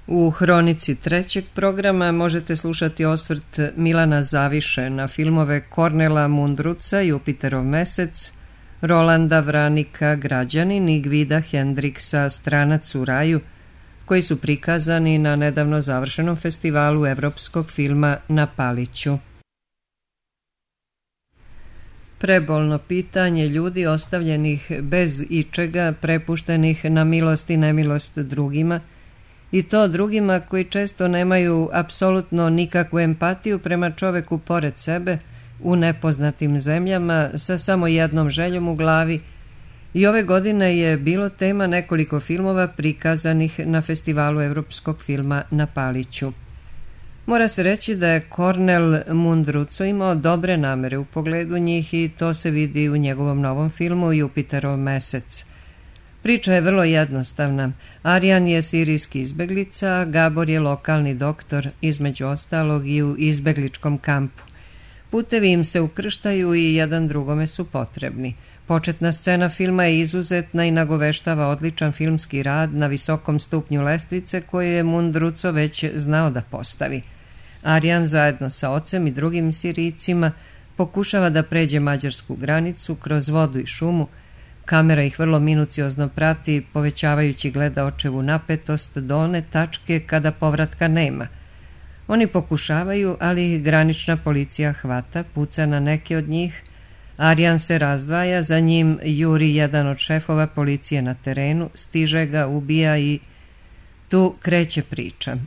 U hronici trećeg programa možete slušati osvrt Milana Zaviše na filmove Kornela Mundruca, Jupiterov mesec, Rolanda Vranika, Građanin i Gvida Hendriksa, Stranac u raju, koji su prikazani na nedavno završenom festivalu evropskog filma na Paliću. Prebolno pitanje ljudi ostavljenih bez ičega, prepuštenih na milost i nemilost drugima, i to drugima koji često nemaju apsolutno nikakvu empatiju prema čoveku pored sebe, u nepoznatim zemljama, sa samo jednom željom u glavi. I ove godine je bilo tema nekoliko filmova prikazanih na festivalu evropskog filma na Paliću. Mora se reći da je Kornel Mundruco imao dobre namere u pogledu njih i to se vidi u njegovom novom filmu Jupiterov mesec. Priča je vrlo jednostavna. Arjan je sirijski izbeglica, Gabor je lokalni doktor, između ostalog i u izbegličkom kampu. Putevi im se ukrštaju i jedan drugome su potrebni. Početna scena filma je izuzetna i nagoveštava odličan filmski rad na visokom stupnju lestvice koju je Mundruco već znao da postavi. Arjan zajedno sa ocem i drugim Sirijcima pokušava da pređe mađarsku granicu kroz vodu i šumu. Kamera ih vrlo minuciozno prati, povećavajući gledaočevu napetost do one tačke kada povratka nema. Oni pokušavaju, ali ih granična policija hvata, puca na neke od njih. Arjan se razdvaja, za njim juri jedan od šefova policije na terenu, stiže ga, ubija i tu kreće priča.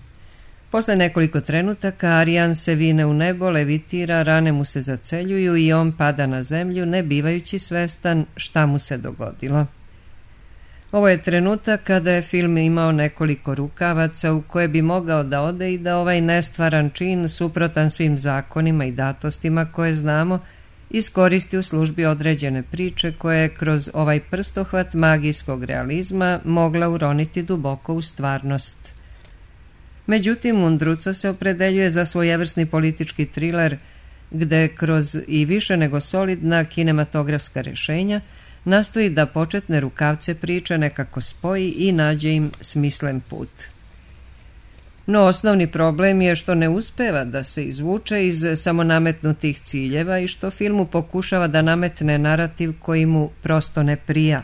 Posle nekoliko trenutaka Arjan se vine u nebo, levitira, rane mu se zaceljuju i on pada na zemlju, ne bivajući svestan šta mu se dogodilo. Ovo je trenutak kada je film imao nekoliko rukavaca u koje bi mogao da ode i da ovaj nestvaran čin, suprotan svim zakonima i datostima koje znamo, iskoristi u službi određene priče koje je kroz ovaj prstohvat magijskog realizma mogla uroniti duboko u stvarnost. Međutim, Mundruco se opredeljuje za svojevrsni politički triler gde kroz i više nego solidna kinematografska rešenja nastoji da početne rukavce priče nekako spoji i nađe im smislen put. No osnovni problem je što ne uspeva da se izvuče iz samonametnutih ciljeva i što filmu pokušava da nametne narativ koji mu prosto ne prija.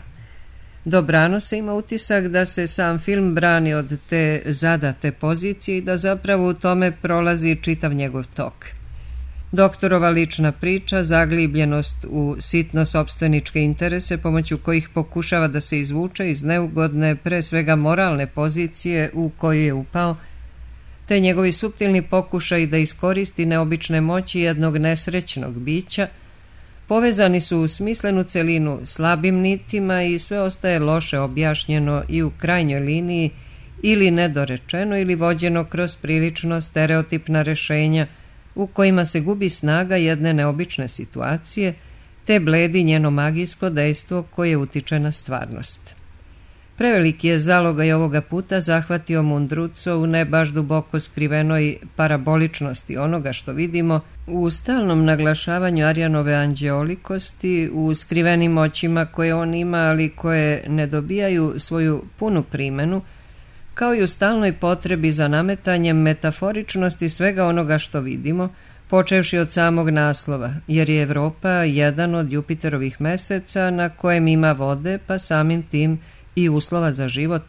Dobrano se ima utisak da se sam film brani od te zadate pozicije i da zapravo u tome prolazi čitav njegov tok. Doktorova lična priča, zaglibljenost u sitno sopstveničke interese pomoću kojih pokušava da se izvuče iz neugodne, pre svega moralne pozicije u koju je upao, te njegovi suptilni pokušaj da iskoristi neobične moći jednog nesrećnog bića, povezani su u smislenu celinu slabim nitima i sve ostaje loše objašnjeno i u krajnjoj liniji ili nedorečeno ili vođeno kroz prilično stereotipna rešenja u kojima se gubi snaga jedne neobične situacije te bledi njeno magijsko dejstvo koje utiče na stvarnost. Preveliki je zalogaj ovoga puta zahvatio Mundruco u ne baš duboko skrivenoj paraboličnosti onoga što vidimo, u stalnom naglašavanju Arjanove anđeolikosti, u skrivenim očima koje on ima, ali koje ne dobijaju svoju punu primenu, kao i u stalnoj potrebi za nametanjem metaforičnosti svega onoga što vidimo, počevši od samog naslova, jer je Evropa jedan od Jupiterovih meseca na kojem ima vode, pa samim tim i uslova za život,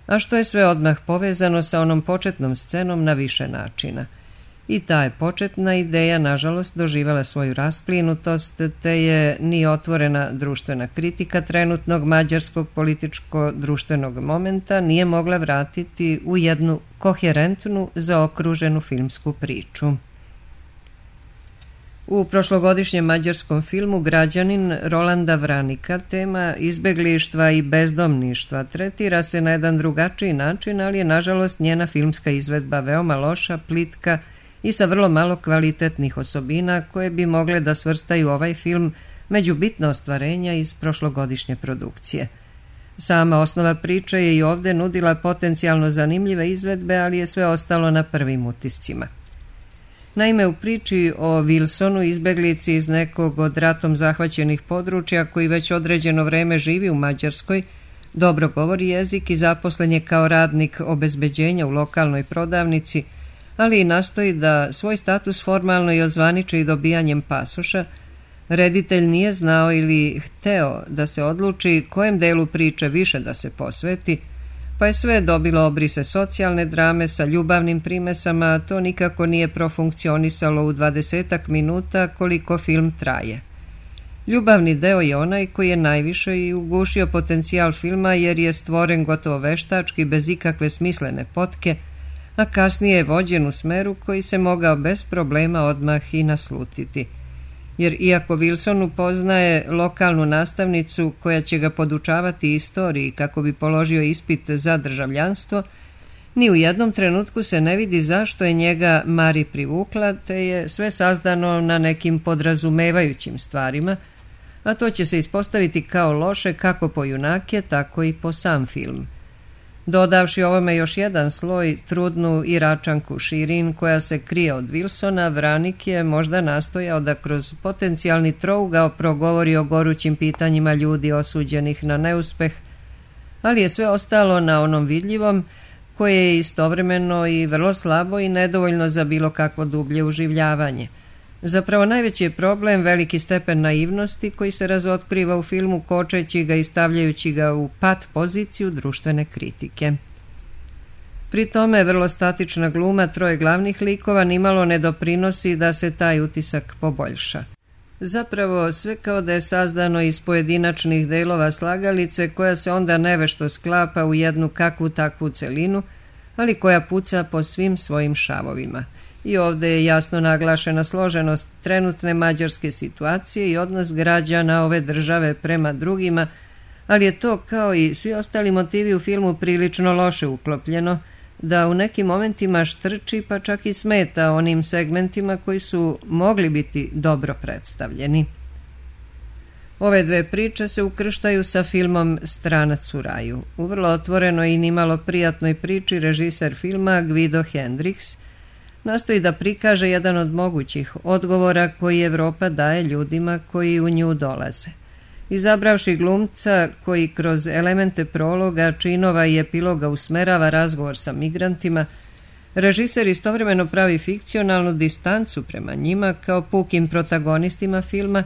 a što je sve odmah povezano sa onom početnom scenom na više načina. I ta je početna ideja, nažalost, doživjela svoju rasplinutost, te je ni otvorena društvena kritika trenutnog mađarskog političko-društvenog momenta nije mogla vratiti u jednu koherentnu, zaokruženu filmsku priču. U prošlogodišnjem mađarskom filmu Građanin Rolanda Vranika tema izbeglištva i bezdomništva tretira se na jedan drugačiji način, ali je nažalost njena filmska izvedba veoma loša, plitka i sa vrlo malo kvalitetnih osobina koje bi mogle da svrstaju ovaj film među bitna ostvarenja iz prošlogodišnje produkcije. Sama osnova priče je i ovde nudila potencijalno zanimljive izvedbe, ali je sve ostalo na prvim utiscima. Naime, u priči o Wilsonu, izbeglici iz nekog od ratom zahvaćenih područja koji već određeno vreme živi u Mađarskoj, dobro govori jezik i zaposlen je kao radnik obezbeđenja u lokalnoj prodavnici, ali i nastoji da svoj status formalno i ozvaniči dobijanjem pasoša. Reditelj nije znao ili hteo da se odluči kojem delu priče više da se posveti, pa je sve dobilo obrise socijalne drame sa ljubavnim primesama, a to nikako nije profunkcionisalo u 20 minuta koliko film traje. Ljubavni deo je onaj koji je najviše i ugušio potencijal filma jer je stvoren gotovo veštački bez ikakve smislene potke, a kasnije je vođen u smeru koji se mogao bez problema odmah i naslutiti. Jer iako Wilson upoznaje lokalnu nastavnicu koja će ga podučavati istoriji kako bi položio ispit za državljanstvo, ni u jednom trenutku se ne vidi zašto je njega Mari privukla, te je sve sazdano na nekim podrazumevajućim stvarima, a to će se ispostaviti kao loše kako po junake, tako i po sam film. Dodavši ovome još jedan sloj, trudnu Iračanku Shirin koja se krije od Wilsona, Vranik je možda nastojao da kroz potencijalni trougao progovori o gorućim pitanjima ljudi osuđenih na neuspeh, ali je sve ostalo na onom vidljivom, koje je istovremeno i vrlo slabo i nedovoljno za bilo kakvo dublje uživljavanje. Zapravo najveći je problem veliki stepen naivnosti koji se razotkriva u filmu kočeći ga i stavljajući ga u pat poziciju društvene kritike. Pri tome vrlo statična gluma troje glavnih likova nimalo ne doprinosi da se taj utisak poboljša. Zapravo sve kao da je sazdano iz pojedinačnih delova slagalice koja se onda nevešto sklapa u jednu kakvu takvu celinu, ali koja puca po svim svojim šavovima. I ovdje je jasno naglašena složenost trenutne mađarske situacije i odnos građana ove države prema drugima, ali je to kao i svi ostali motivi u filmu prilično loše uklopljeno, da u nekim momentima štrči pa čak i smeta onim segmentima koji su mogli biti dobro predstavljeni. Ove dve priče se ukrštaju sa filmom Stranac u raju. U vrlo otvorenoj i nimalo prijatnoj priči režiser filma Guido Hendricks nastoji da prikaže jedan od mogućih odgovora koji Evropa daje ljudima koji u nju dolaze. Izabravši glumca koji kroz elemente prologa, činova i epiloga usmerava razgovor sa migrantima, režiser istovremeno pravi fikcionalnu distancu prema njima kao pukim protagonistima filma,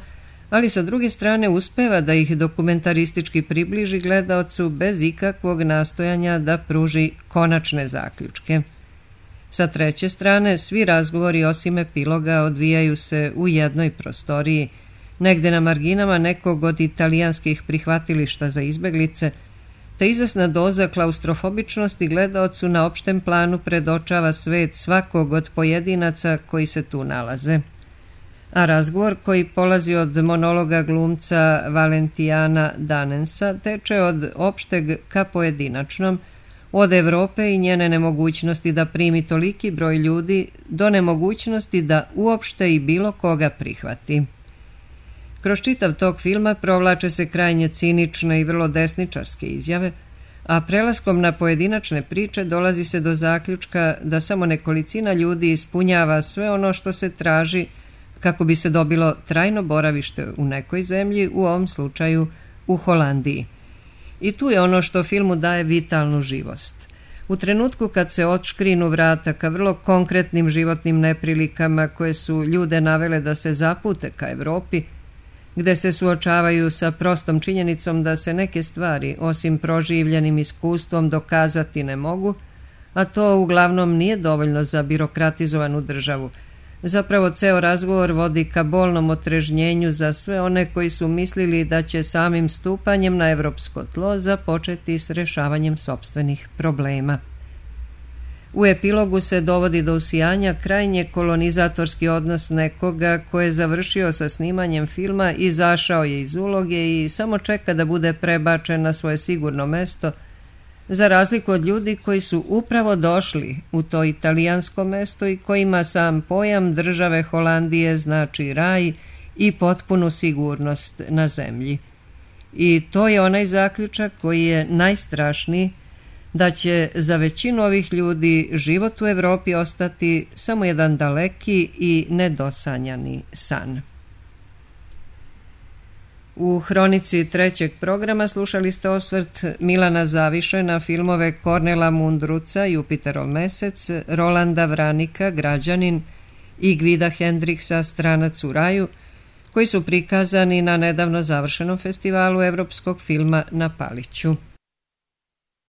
ali sa druge strane uspeva da ih dokumentaristički približi gledaocu bez ikakvog nastojanja da pruži konačne zaključke. Sa treće strane, svi razgovori osim epiloga odvijaju se u jednoj prostoriji, negde na marginama nekog od italijanskih prihvatilišta za izbeglice, te izvesna doza klaustrofobičnosti gledaocu na opštem planu predočava svet svakog od pojedinaca koji se tu nalaze. A razgovor koji polazi od monologa glumca Valentijana Danensa teče od opšteg ka pojedinačnom, od Evrope i njene nemogućnosti da primi toliki broj ljudi do nemogućnosti da uopšte i bilo koga prihvati. Kroz čitav tog filma provlače se krajnje cinične i vrlo desničarske izjave, a prelaskom na pojedinačne priče dolazi se do zaključka da samo nekolicina ljudi ispunjava sve ono što se traži kako bi se dobilo trajno boravište u nekoj zemlji, u ovom slučaju u Holandiji. I tu je ono što filmu daje vitalnu živost. U trenutku kad se otškrinu vrata ka vrlo konkretnim životnim neprilikama koje su ljude navele da se zapute ka Evropi, gde se suočavaju sa prostom činjenicom da se neke stvari, osim proživljenim iskustvom, dokazati ne mogu, a to uglavnom nije dovoljno za birokratizovanu državu. Zapravo ceo razgovor vodi ka bolnom otrežnjenju za sve one koji su mislili da će samim stupanjem na evropsko tlo započeti s rešavanjem sopstvenih problema. U epilogu se dovodi do usijanja krajnje kolonizatorski odnos nekoga ko je završio sa snimanjem filma, izašao je iz uloge i samo čeka da bude prebačen na svoje sigurno mesto, za razliku od ljudi koji su upravo došli u to italijansko mesto i kojima sam pojam države Holandije znači raj i potpunu sigurnost na zemlji. I to je onaj zaključak koji je najstrašniji, da će za većinu ovih ljudi život u Evropi ostati samo jedan daleki i nedosanjani san. U hronici trećeg programa slušali ste osvrt Milana Zaviše na filmove Kornela Mundruca, Jupiterov mesec, Rolanda Vranika, Građanin i Gvida Hendriksa, Stranac u raju, koji su prikazani na nedavno završenom festivalu evropskog filma na Paliću.